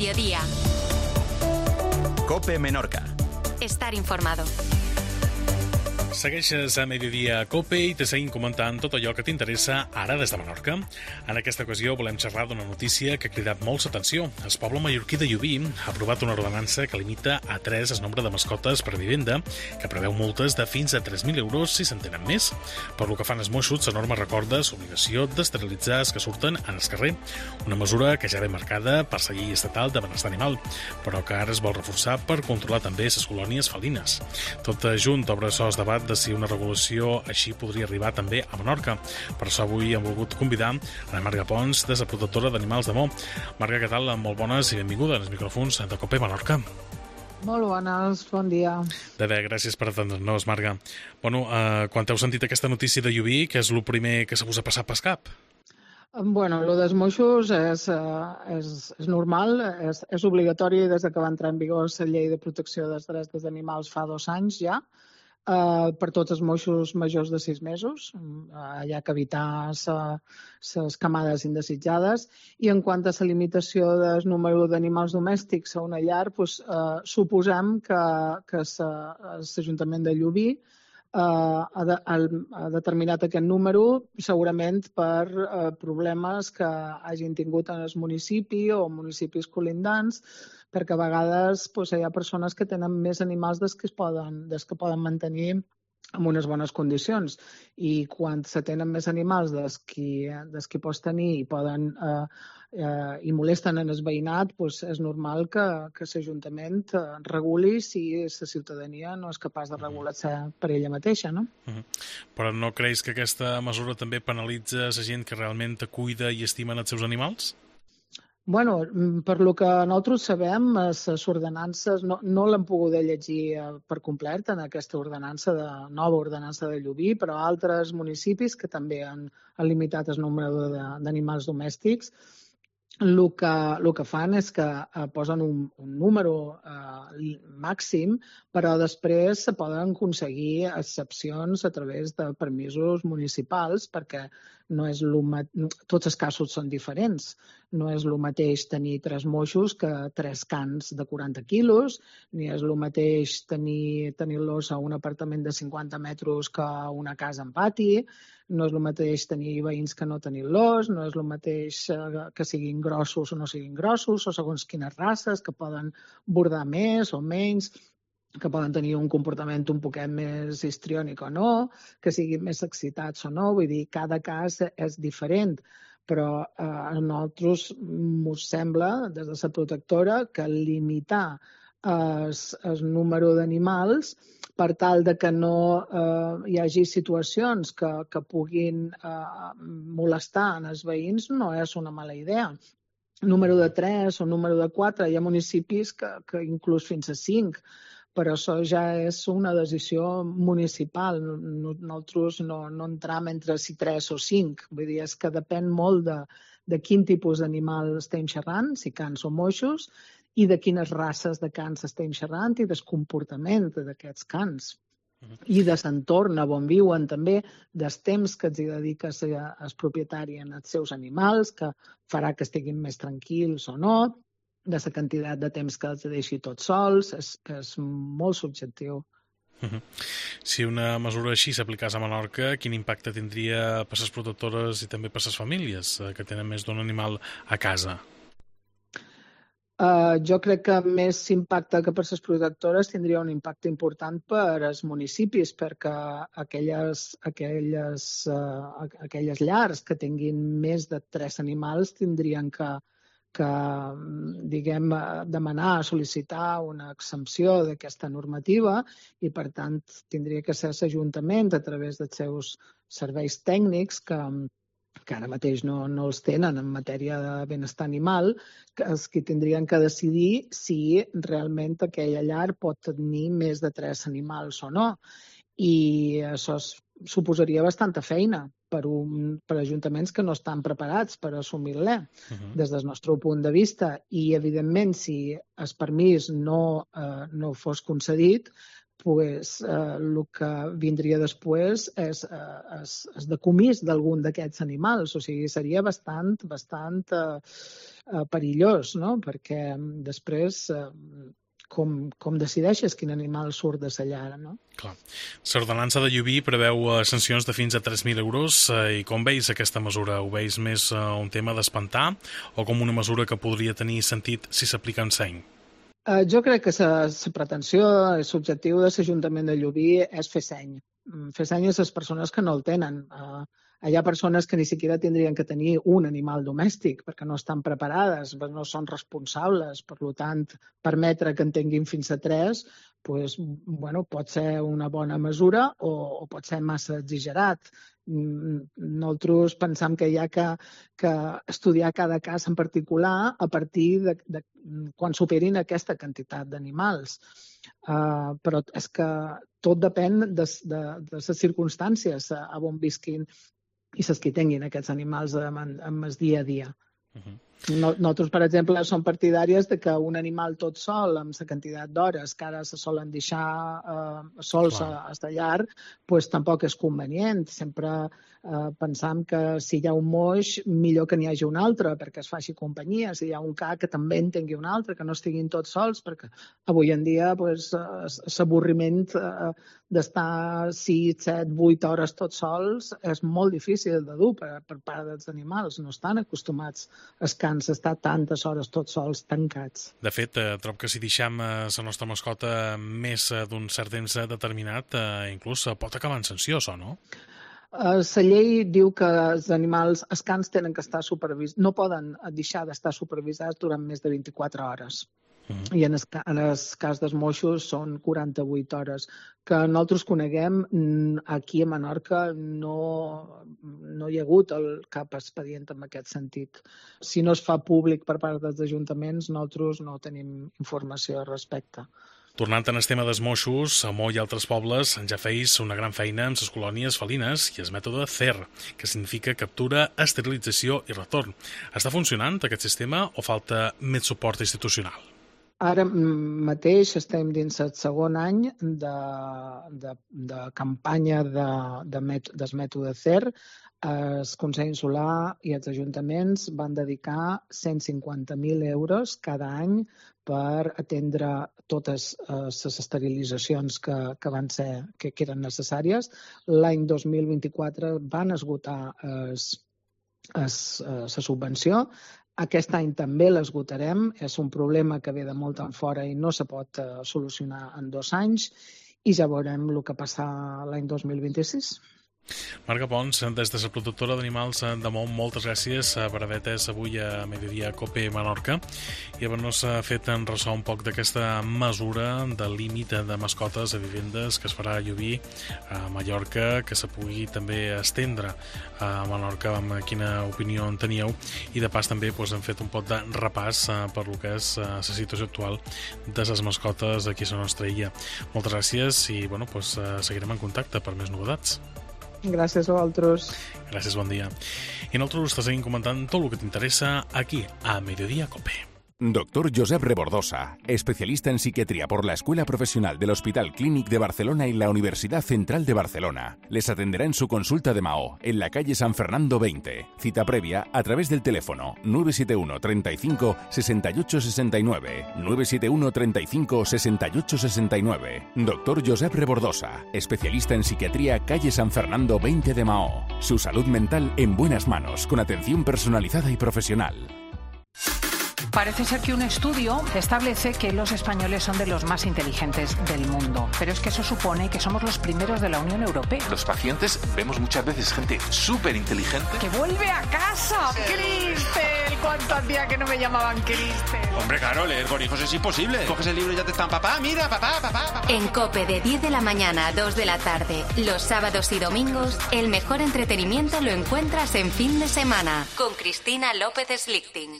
mediodía. COPE Menorca. Estar informado. Segueixes a Mediodía a COPE i te seguim comentant tot allò que t'interessa ara des de Menorca. En aquesta ocasió volem xerrar d'una notícia que ha cridat molt l'atenció. El poble mallorquí de Llubí ha aprovat una ordenança que limita a 3 el nombre de mascotes per vivenda, que preveu multes de fins a 3.000 euros si se'n tenen més. Per lo que fan els Mossos, la norma recorda l'obligació d'esterilitzar els que surten en el carrer, una mesura que ja ve marcada per la llei estatal de benestar animal, però que ara es vol reforçar per controlar també les colònies felines. Tot junt obre els debat de si una regulació així podria arribar també a Menorca. Per això avui hem volgut convidar a la Marga Pons, de la protectora d'animals de Mo. Marga, què tal? Molt bones i benvinguda als micròfons de COPE Menorca. Molt bones, bon dia. De bé, gràcies per atendre'ns, Marga. Bueno, quan heu sentit aquesta notícia de Llubí, què és el primer que se us ha passat pel cap? Bueno, el dels Mossos és normal, és obligatori des que va entrar en vigor la llei de protecció dels drets dels animals fa 2 anys ja, per tots els Mossos majors de 6 mesos, hi ha que evitar les camades indesitjades. I en quant a la limitació del número d'animals domèstics a una llar, suposem que l'Ajuntament de Llubí ha determinat aquest número segurament per problemes que hagin tingut en el municipi o municipis colindants, perquè a vegades hi ha persones que tenen més animals dels que poden mantenir en unes bones condicions. I quan se tenen més animals dels que pots tenir i molesten en el veïnat, és normal que l'Ajuntament reguli si la ciutadania no és capaç de regular-se per ella mateixa, no? Però no creus que aquesta mesura també penalitza la gent que realment cuida i estimen els seus animals? Bueno, per lo que nosaltres sabem, les ordenances no l'hem pogut llegir per complet en aquesta nova ordenança de Llubí, però altres municipis que també han limitat el nombre d'animals domèstics, el que fan és que posen un número màxim, però després se poden aconseguir excepcions a través de permisos municipals, perquè tots els casos són diferents. No és el mateix tenir 3 moixos que 3 cans de 40 quilos, ni és el mateix tenir-los a un apartament de 50 metres que una casa en pati, no és el mateix tenir veïns que no tenir-los, no és el mateix que siguin grossos o no siguin grossos, o segons quines races, que poden bordar més o menys, que poden tenir un comportament un poquet més histriònic o no, que siguin més excitats o no, vull dir, cada cas és diferent, però a nosaltres ens sembla, des de la protectora, que limitar el número d'animals per tal de que no hi hagi situacions que puguin molestar els veïns no és una mala idea. Número de 3 o número de 4, hi ha municipis que inclús fins a 5, però això ja és una decisió municipal. Nosaltres no entram entre si 3 o 5. Vull dir, és que depèn molt de quin tipus d'animal estem xerrant, si cans o moixos, i de quines races de cans estem xerrant i del comportament d'aquests cans. I de l'entorn on viuen també, dels temps que els dedica el propietari en els seus animals, que farà que estiguin més tranquils o no, de la quantitat de temps que els deixi tots sols, és molt subjectiu. Si una mesura així s'aplicés a Menorca, quin impacte tindria per les protectores i també per les famílies que tenen més d'un animal a casa? Jo crec que més impacte que per les protectores tindria un impacte important per als municipis, perquè aquelles llars que tinguin més de 3 animals tindrien que demanar, sol·licitar una exempció d'aquesta normativa i, per tant, tindria que ser l'Ajuntament, a través dels seus serveis tècnics, que ara mateix no els tenen en matèria de benestar animal, els que tindrien que decidir si realment aquella llar pot tenir més de 3 animals o no. I això suposaria bastanta feina per ajuntaments que no estan preparats per assumir-la des del nostre punt de vista. I, evidentment, si el permís no fos concedit, el que vindria després és decomís d'algun d'aquests animals. O sigui, seria bastant perillós, no? Perquè després com decideixes quin animal surt de sa llar, no? Clar. L'ordenança de Llubí preveu sancions de fins a 3.000 euros i com veus aquesta mesura? Ho veus més un tema d'espantar o com una mesura que podria tenir sentit si s'aplica en seny? Jo crec que la pretensió, l'objectiu de l'Ajuntament de Llubí és fer seny. Fer seny a les persones que no el tenen. Hi ha persones que ni siquiera tindrien que tenir un animal domèstic perquè no estan preparades, no són responsables. Per tant, permetre que en tinguin fins a 3 pot ser una bona mesura o pot ser massa exagerat. Nosaltres pensam que hi ha que estudiar cada cas en particular a partir de quan superin aquesta quantitat d'animals. Però és que tot depèn de les circumstàncies on visquin i les que tinguin aquests animals en el dia a dia. Nosaltres, per exemple, som partidàries de que un animal tot sol, amb la quantitat d'hores que ara se solen deixar sols a la llar, tampoc és convenient. Sempre pensam que si hi ha un moix, millor que n'hi hagi un altre, perquè es faci companyia. Si hi ha un ca, que també en tingui un altre, que no estiguin tots sols, perquè avui en dia l'avorriment d'estar 6, 7, 8 hores tots sols és molt difícil de dur per part dels animals. No estan acostumats als cans a estar tantes hores tots sols tancats. De fet, trobo que si deixem la nostra mascota més d'un cert temps determinat, inclús pot acabar en sanció, això, no? La llei diu que els cans tenen que estar supervisats, no poden deixar d'estar supervisats durant més de 24 hores. I en el cas dels moixos són 48 hores. Que nosaltres coneguem, aquí a Menorca no hi ha hagut cap expedient en aquest sentit. Si no es fa públic per part dels ajuntaments, nosaltres no tenim informació al respecte. Tornant en el tema dels moixos, a Mo i altres pobles ja feis una gran feina amb les colònies felines i el mètode CER, que significa captura, esterilització i retorn. Està funcionant aquest sistema o falta més suport institucional? Ara mateix estem dins el segon any de campanya del mètode CER. El Consell Insular i els ajuntaments van dedicar 150.000 euros cada any per atendre totes les esterilitzacions que eren necessàries. L'any 2024 van esgotar la subvenció. Aquest any també l'esgotarem. És un problema que ve de molt en fora i no se pot solucionar en 2 anys i ja veurem el que passa l'any 2026. Marga Pons, des de la productora d'animals de Mo, moltes gràcies per haver atès avui a Mediodía Cope Menorca i haver-nos fet en ressò un poc d'aquesta mesura de límit de mascotes a vivendes que es farà a Llubí, a Mallorca, que se pugui també estendre a Menorca, amb quina opinió en teníeu, i de pas també hem fet un pot de repàs per lo que és la situació actual de les mascotes aquí a la nostra illa. Moltes gràcies i seguirem en contacte per més novetats. Gràcies a vosaltres. Gràcies, bon dia. I nosaltres te seguim comentant tot el que t'interessa aquí, a Mediodía Cope. Doctor Josep Rebordosa, especialista en psiquiatría por la Escuela Profesional del Hospital Clínic de Barcelona y la Universidad Central de Barcelona. Les atenderá en su consulta de Maó, en la calle San Fernando 20. Cita previa a través del teléfono 971 35 68 69. 971 35 68 69. Doctor Josep Rebordosa, especialista en psiquiatría, calle San Fernando 20 de Maó. Su salud mental en buenas manos, con atención personalizada y profesional. Parece ser que un estudio establece que los españoles son de los más inteligentes del mundo. Pero es que eso supone que somos los primeros de la Unión Europea. Los pacientes vemos muchas veces gente súper inteligente ¡que vuelve a casa! Sí. ¡Cristel! ¿Cuánto hacía que no me llamaban Cristel? Hombre, claro, leer con hijos es imposible. Coges el libro y ya te están, papá, mira, papá. En COPE, de 10 de la mañana a 2 de la tarde, los sábados y domingos, el mejor entretenimiento lo encuentras en Fin de Semana, con Cristina López Slichting.